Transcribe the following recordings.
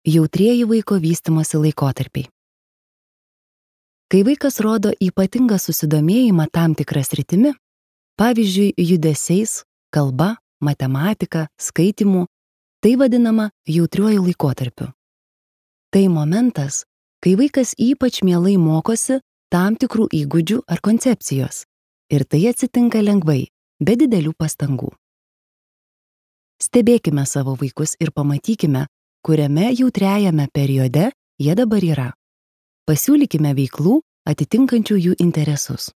Jautrieji vaiko vystymosi laikotarpiai. Kai vaikas rodo ypatingą susidomėjimą tam tikrą sritimi, pavyzdžiui, judesiais, kalba, matematika, skaitymu, tai vadinama jautriuoju laikotarpiu. Tai momentas, kai vaikas ypač mielai mokosi tam tikrų įgūdžių ar koncepcijos, ir tai atsitinka lengvai, be didelių pastangų. Stebėkime savo vaikus ir pamatykime, kuriame jautriajame periode jie dabar yra. Pasiūlykime veiklų atitinkančių jų interesus.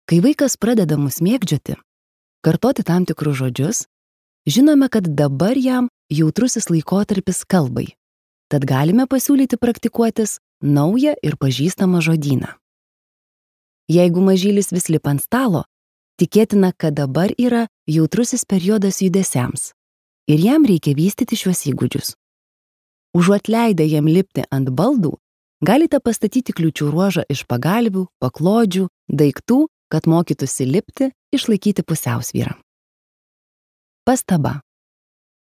Kai vaikas pradeda mus mėgdžioti, kartoti tam tikrus žodžius, žinome, kad dabar jam jautrusis laikotarpis kalbai, tad galime pasiūlyti praktikuotis naują ir pažįstamą žodyną. Jeigu mažylis vis lipa ant stalo, tikėtina, kad dabar yra jautrusis periodas judesiams ir jam reikia vystyti šiuos įgūdžius. Užuot leidę jam lipti ant baldų, galite pastatyti kliūčių ruožą iš pagalvių, paklodžių, daiktų, kad mokytųsi lipti, išlaikyti pusiausvyrą. Pastaba.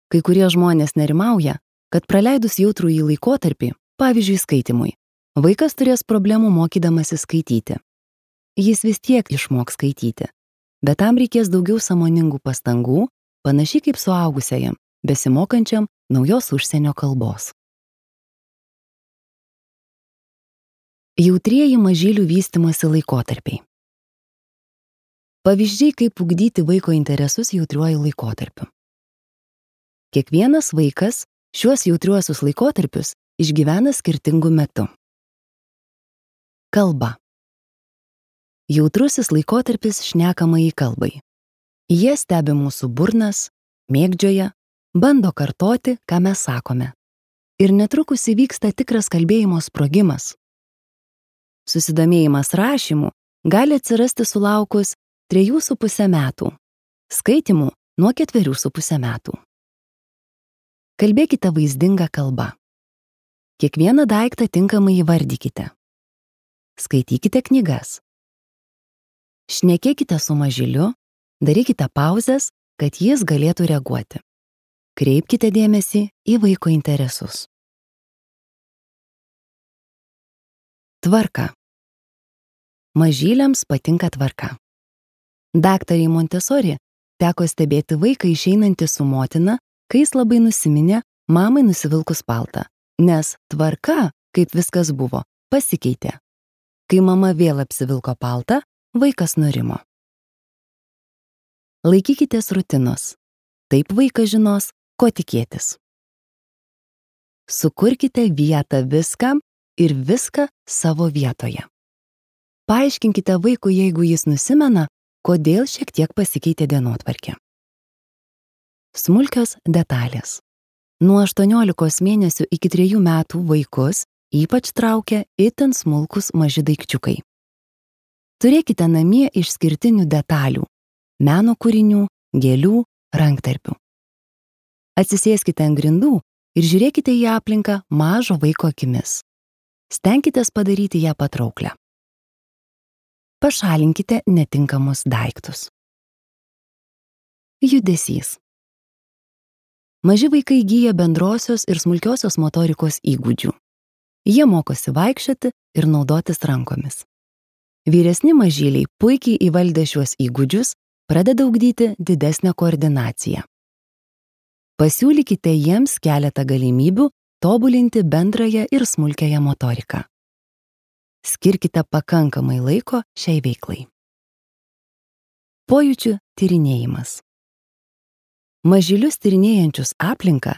Kai kurie žmonės nerimauja, kad praleidus jautrųjį laikotarpį, pavyzdžiui skaitymui, vaikas turės problemų mokydamasi skaityti. Jis vis tiek išmoks skaityti, bet tam reikės daugiau sąmoningų pastangų, panašiai kaip suaugusiajam, besimokančiam naujos užsienio kalbos. Jautrieji mažylių vystymosi laikotarpiai. Pavyzdžiai, kaip ugdyti vaiko interesus jautriuoju laikotarpiu. Kiekvienas vaikas šiuos jautriuosius laikotarpius išgyvena skirtingu metu. Kalba. Jautrusis laikotarpis šnekamajai kalbai. Jie stebi mūsų burnas, mėgdžioja, bando kartoti, ką mes sakome. Ir netrukus įvyksta tikras kalbėjimo sprogimas. Susidomėjimas rašymu gali atsirasti sulaukus 3,5 metų, skaitymu nuo 4,5 metų. Kalbėkite vaizdinga kalba. Kiekvieną daiktą tinkamai įvardykite. Skaitykite knygas. Šnekėkite su mažyliu, darykite pauzes, kad jis galėtų reaguoti. Kreipkite dėmesį į vaiko interesus. Tvarka. Mažyliams patinka tvarka. Daktarei Montessori teko stebėti vaiką išeinantį su motina, kai jis labai nusiminė mamai nusivilkus paltą, nes tvarka, kaip viskas buvo, pasikeitė. Kai mama vėl apsivilko paltą, vaikas nurimo. Laikykitės rutinos. Taip vaikas žinos, ko tikėtis. Sukurkite vietą viskam ir viską savo vietoje. Paaiškinkite vaikui, jeigu jis nusimena, kodėl šiek tiek pasikeitė dienotvarkė. Smulkios detalės. Nuo 18 mėnesių iki 3 metų vaikus ypač traukia itin smulkus maži daikčiukai. Turėkite namie išskirtinių detalių, meno kūrinių, gėlių, ranktarpių. Atsisėskite ant grindų ir žiūrėkite į aplinką mažo vaiko akimis. Stenkitės padaryti ją patrauklią. Pašalinkite netinkamus daiktus. Judesys. Maži vaikai įgyja bendrosios ir smulkiosios motorikos įgūdžių. Jie mokosi vaikščioti ir naudotis rankomis. Vyresni mažyliai puikiai įvaldę šiuos įgūdžius pradeda ugdyti didesnę koordinaciją. Pasiūlykite jiems keletą galimybių tobulinti bendrąją ir smulkiąją motoriką. Skirkite pakankamai laiko šiai veiklai. Pojūčių tyrinėjimas. Mažylius tyrinėjančius aplinką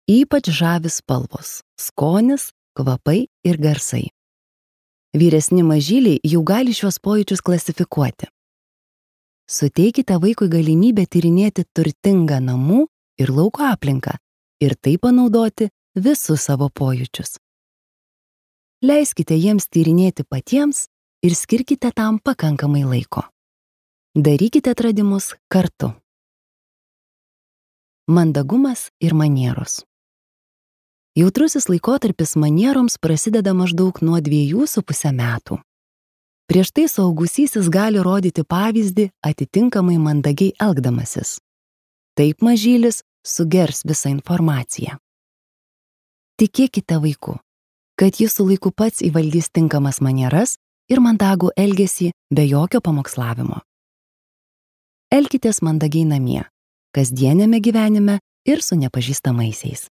ypač žavi spalvos, skonis, kvapai ir garsai. Vyresni mažyliai jau gali šios pojūčius klasifikuoti. Suteikite vaikui galimybę tyrinėti turtingą namų ir lauko aplinką ir taip panaudoti visus savo pojūčius. Leiskite jiems tyrinėti patiems ir skirkite tam pakankamai laiko. Darykite atradimus kartu. Mandagumas ir manieros. Jautrusis laikotarpis manieroms prasideda maždaug nuo 2,5 metų. Prieš tai suaugusysis gali rodyti pavyzdį atitinkamai mandagiai elgdamasis. Taip mažylis sugers visą informaciją. Tikėkite vaiku, kad jis su laiku pats įvaldys tinkamas manieras ir mandagų elgesį be jokio pamokslavimo. Elkitės mandagiai namie, kasdienėme gyvenime ir su nepažįstamaisiais.